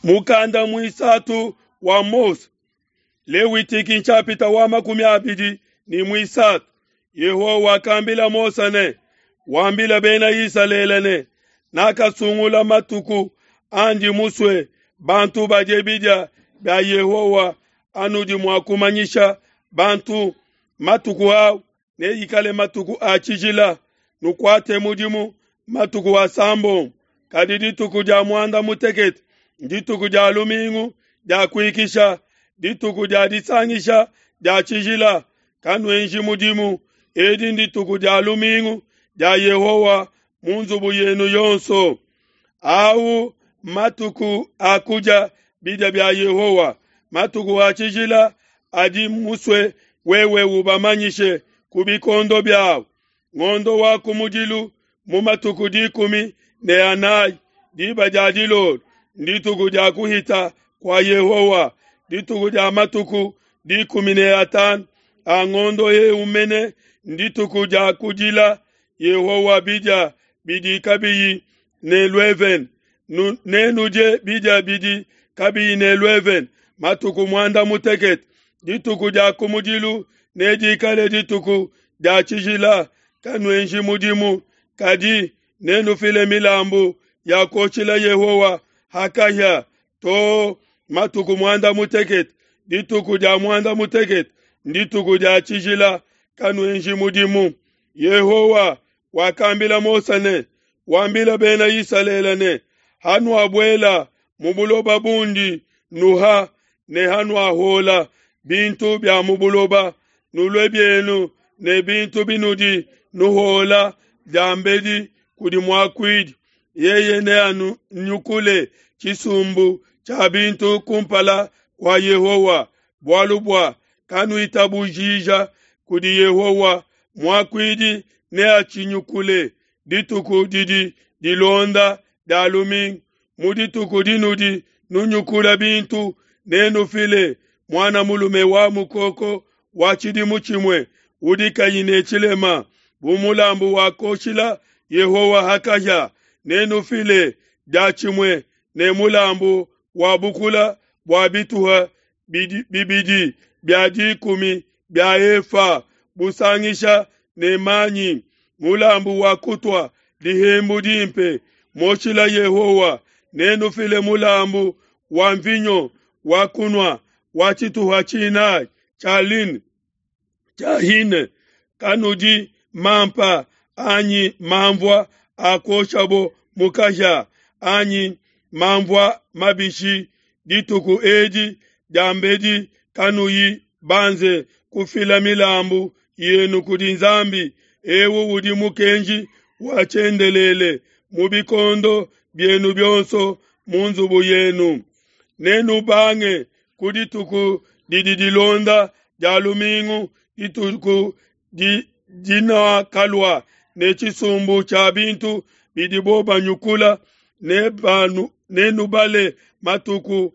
Mukanda muisatu wa Mose, Lewitiki nshapita wa 23. Yehowa wakambila Mose ne, wambila bena Isalele ne, nakasungula matuku andi musue bantu badie bidia bia Yehowa anudi mua kumanyisha bantu matuku au neikale matuku a tshijila, nukuate mudimu matuku asambombo, kadi dituku dia muanda mutekete ndituku dia lumingu dia kuikisha, dituku dia disangisha dia tshijila, kanuenji mudimu. Edi ndituku dia lumingu dia Yehowa mu nzubu yenu yonso. Au matuku a kudia bidia bia Yehowa, matuku a tshijila adi musue wewe ubamanyishe ku bikondo biawu. Ngondo wa kumudilu mu matuku 14 diba dia dilolo ndituku dia kuhita kua Yehowa, dituku dia matuku 15 a ngondo eu mene ndituku dia kudila Yehowa bidia bidi kabiyi ne luevene. Nenudie bidia bidi kabiyi ne luevene matuku 18. Dituku dia kumudilu nedikale dituku dia tshijila, kanuenji mudimu, kadi nenufile milambu ya kuoshila Yehowa hakahia to matuku 18. Dituku dia 18 ndituku dia tshijila, kanuenji mudimu. Yehowa wakambila Mose ne, wambila bena Isalele ne, hanuabuela mu buloba bundi nuha ne hanuahola bintu bia mu buloba, nulue bienu ne bintu binudi nuhola diambedi kudi muakuidi, yeye neanunyukule tshisumbu tshia bintu kumpala kua Yehowa, bualu bua kanuitabujija kudi Yehowa, muakuidi neatshinyukule dituku didi dilonda dia lumingu. Mu dituku dinudi nunyukula bintu, nenufile muana mulume wa mukoko wa tshidimu tshimue udi kayi ne tshilema bu mulambu wa kuoshila Yehowa hakahia. Nenufile diatshimue ne mulambu wa bukula bua bituha bibidi bia 10 bia efa busangisha ne manyi, mulambu wa kutua dihembu dimpe moshila Yehowa. Nenufile mulambu wa mvinyo wa kunua wa tshituha tshinayi tsha line tsha hine. Kanudi mampa anyi mamvua a kuoshabo mu kahia anyi mamvua mabishi dituku edi diambedi kanuyi banze kufila milambu yenu kudi Nzambi. Eu udi mukenji wa tshiendelele mu bikondo bienu bionso mu nzubu yenu. Nenubange ku dituku didi dilonda dia lumingu, dituku dinakalua ne tshisumbu tshia bintu bidibo banyukula, nenubale matuku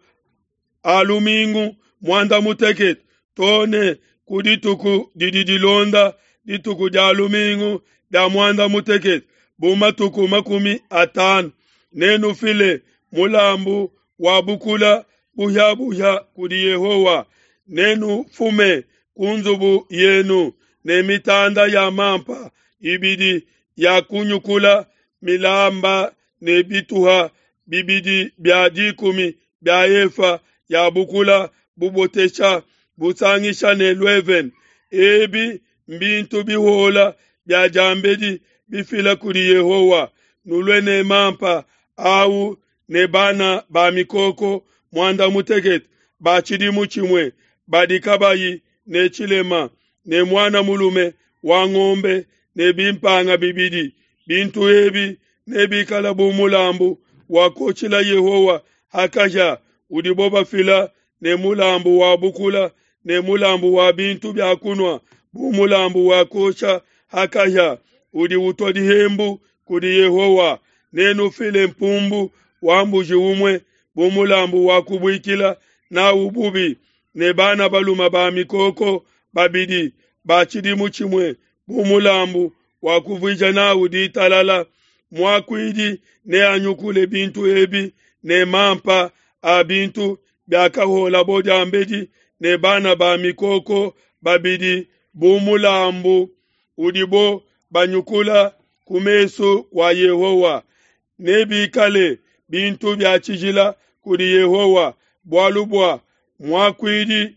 a lumingu 18 too ne ku dituku didi dilonda dituku dia lumingu dia 18 bu matuku 50. Nenufile mulambu wa bukula buhia-buhia kudi Yehowa. Nenufume ku nzubu yenu ne mitanda ya mampa ibidi ya kunyukula milamba ne bituha bibidi bia 10 bia efa ya bukula bubotesha busangisha ne luevene. Ebi mbintu bihola bia diambedi bifila kudi Yehowa. Nulue ne mampa au ne bana ba mikoko 18 ba tshidimu tshimue badi kabayi ne tshilema, ne muana mulume wa ngombe ne bimpanga bibidi. Bintu ebi nebikala bu mulambu wa kuoshila Yehowa hakahia, udibo bafila ne mulambu wa bukula ne mulambu wa bintu bia kunua bu mulambu wa kuosha hakahia, udi utua dihembu kudi Yehowa. Nenufile mpumbu wa mbuji umue bu mulambu wa kubuikila nawu bubi, ne bana balume ba mikoko babidi ba tshidimu tshimue bu mulambu wa kuvuija nawu ditalala. Muakuidi neanyukule bintu ebi. ne mampa a bintu biakahuolabo diambedi ne bana ba mikoko babidi bu mulambu udibo banyukula ku mesu kua Yehowa. Nebikale bintu bia tshijila kudi Yehowa, bualu bua muakuidi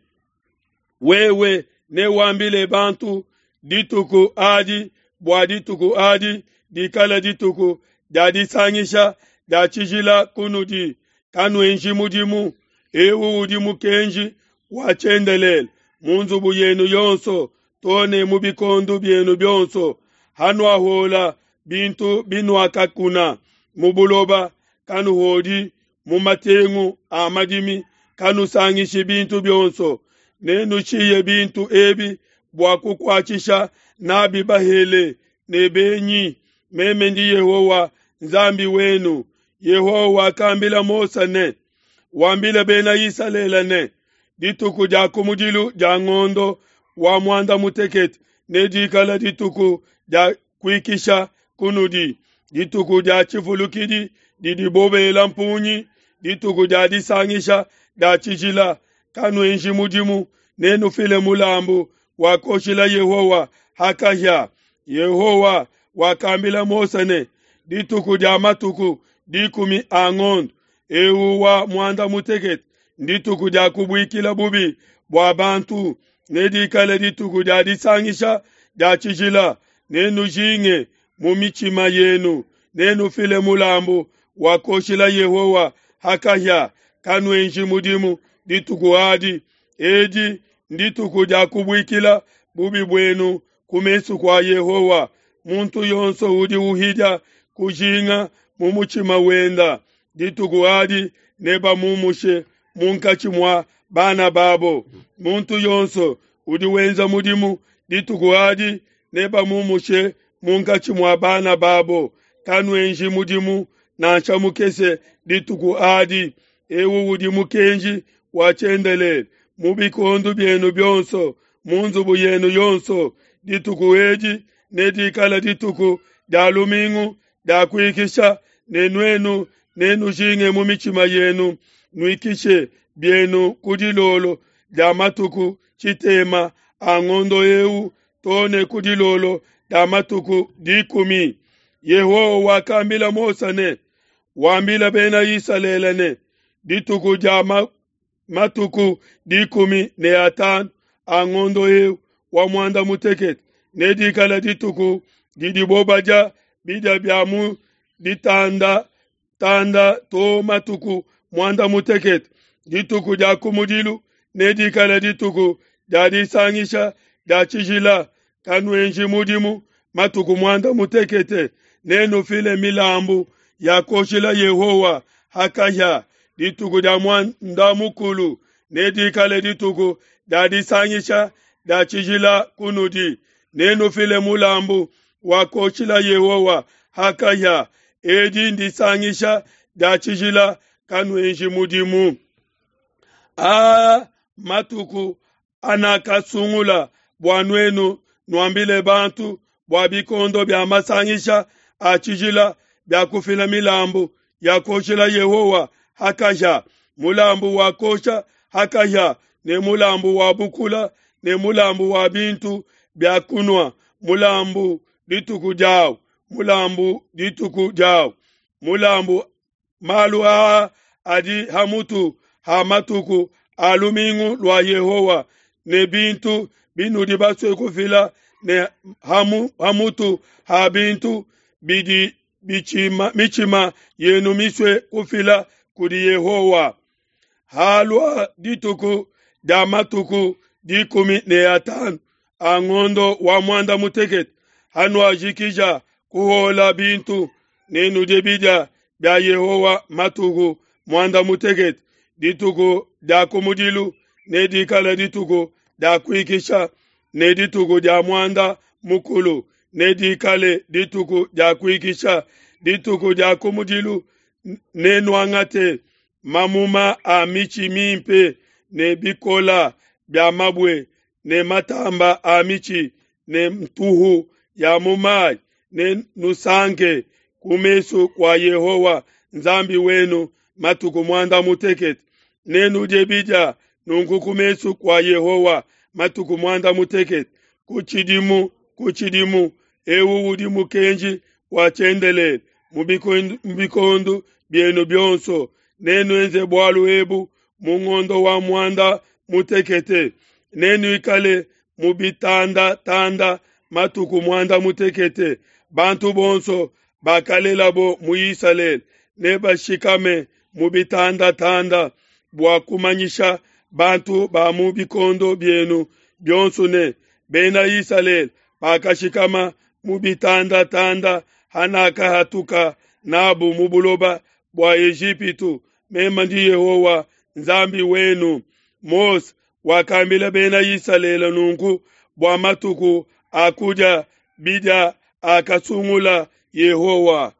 wewe newambile bantu dituku adi, bua dituku adi dikale dituku dia disangisha dia tshijila kunudi, kanuenji mudimu. Eu udi mukenji wa tshiendelele mu nzubu yenu yonso too ne mu bikondo bienu bionso. Hanuahuola bintu binuakakuna mu buloba, kanuhuodi mu matengu a madimi, kanusangishi bintu bionso. Nenushiye bintu ebi bua kukuatshisha nabi bahele ne benyi. Meme ndi Yehowa Nzambi wenu. Yehowa wakambila Mose ne, Wambile Bena Isalele ne, Dituku dia kumudilu dia ngondo wa muanda mutekete nedikale dituku dia kuikisha kunudi, dituku dia tshivulukidi didibo bela mpungi, dituku dia disangisha dia tshijila. Kanuenji mudimu, nenufile mulambu wa kuoshila Yehowa ha kahia. Yehowa wakambila Mose ne, Dituku dia matuku dikumi a ngondo eu wa muanda mutekete ndituku dia kubuikila bubi bua bantu, nedikale dituku dia disangisha dia tshijila. Nenujinge mu mitshima yenu, nenufile mulambu wa kuoshila Yehowa ha kahia. Kanuenji mudimu dituku adi. Edi ndituku dia kubuikila bubi buenu ku mesu kua Yehowa. Muntu yonso udi uhidia kujinga mu mutshima wenda, dituku adi nebamumushe munkatshi mua bana babo. Muntu yonso udi wenza mudimu dituku adi nebamumushe munkatshi mua bana babo. Kanuenji mudimu nansha mukese dituku adi. Eu udi mukenji wa tshiendelele mu bikondo bienu bionso, mu nzubu yenu yonso. Dituku edi nedikale dituku dia lumingu dia kuikisha, ne nuenu nenujinge mu mitshima yenu, nuikishe bienu ku dilolo dia matuku tshitema a ngondo eu too ne ku dilolo dia matuku dikumi. Yehowa wakambila Mose ne, Wambile Bena Isalele ne, Dituku dia matuku dikumi ne atanu a ngondo eu wa muanda mutekete nedikale dituku didibo badia bidia bia mu ditanda tanda to matuku muanda mutekete. Dituku dia kumudilu nedikale dituku dia disangisha dia tshijila. Kanuenji mudimu matuku muanda mutekete. Nenufile milambu ya kuoshila Yehowa ha kahia. Dituku dia muanda mukulu nedikale dituku dia disangisha dia tshijila kunudi. Nenufile mulambu wa kuoshila Yehowa ha kahia. Edi ndisangisha dia tshijila, kanuenji mudimu. Aa matuku anakasungula bua nuenu nuambile bantu bua bikondo bia masangisha a tshijila bia kufila milambu ya kuoshila Yehowa ha kahia, mulambu wa kuosha ha kahia, ne mulambu wa bukula, ne mulambu wa bintu bia kunua, mulambu dituku diawu, mulambu dituku diawu, mulambu. Malu aa adi ha mutu ha matuku a lumingu lua Yehowa, ne bintu binudi basue kufila, ne ha mutu ha bintu bidi mitshima yenu misue kufila kudi Yehowa. Halua dituku dia matuku dikumi ne atanu a ngondo wa muanda mutekete, hanuajikija kuhuola bintu, nenudie bidia bia Yehowa matuku muanda mutekete. Dituku dia kumudilu nedikale dituku dia kuikisha, ne dituku dia muanda mukulu nedikale dituku dia kuikisha. Dituku dia kumudilu nenuangate mamuma a mitshi mimpe ne bikola bia mabue ne matamba a mitshi ne ntuhu ya mu mayi, ne nusanke ku mesu kua Yehowa Nzambi wenu. matuku muanda mutekete. Nenudie bidia nunku ku mesu kua Yehowa matuku muanda mutekete ku tshidimu ku tshidimu. Eu udi mukenji wa tshiendelele mu bikondo bienu bionso. Nenuenze bualu ebu mu ngondo wa muanda mutekete. Nenuikale mu bitandatanda matuku muanda mutekete. Bantu bonso bakalelabo mu Isalele nebashikame mu bitandatanda bua kumanyisha bantu ba mu bikondo bienu bionso ne, Bena Isalele bakashikama mu bitandatanda hanakahatuka n'abo mu buloba bua Ejipitu. Meme ndi Yehowa Nzambi wenu. Mose wakambila Bena Isalele nunku bua matuku a kudia bidia akasungula Yehowa.